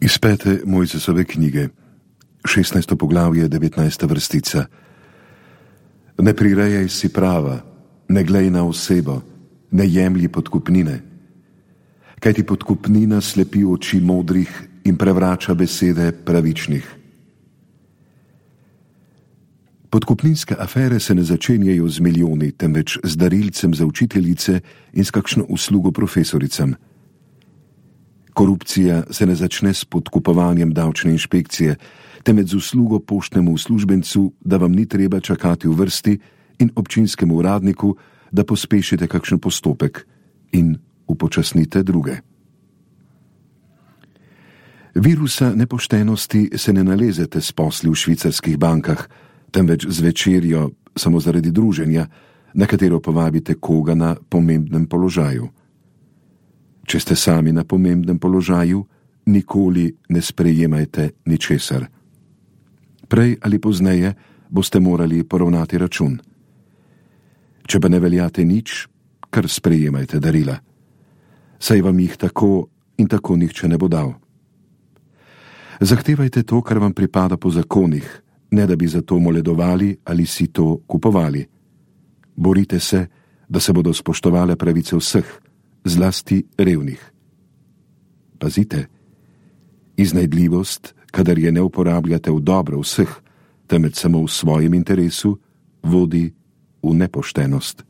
Iz 5. Mojzesove knjige, 16. poglavje, 19. vrstica. Ne prirejaj si prava, ne glej na osebo, ne jemlji podkupnine. Kajti podkupnina slepi oči modrih in prevrača besede pravičnih. Podkupninske afere se ne začenjajo z milijoni, temveč z darilcem za učiteljice in s kakšno uslugo profesoricam. Korupcija se ne začne s podkupovanjem davčne inšpekcije, temveč z uslugo poštnemu uslužbencu, da vam ni treba čakati v vrsti, in občinskemu uradniku, da pospešite kakšen postopek in upočasnite druge. Virusa nepoštenosti se ne nalezete s posli v švicarskih bankah, temveč z večerjo samo zaradi druženja, na katero povabite koga na pomembnem položaju. Če ste sami na pomembnem položaju, nikoli ne sprejemajte ničesar. Prej ali pozneje boste morali poravnati račun. Če pa ne veljate nič, kar sprejemajte darila. Saj vam jih tako in tako nihče ne bo dal. Zahtevajte to, kar vam pripada po zakonih, ne da bi za to moledovali ali si to kupovali. Borite se, da se bodo spoštovale pravice vseh, zlasti revnih. Pazite, iznajdljivost, kadar je ne uporabljate v dobro vseh, temveč samo v svojem interesu, vodi v nepoštenost.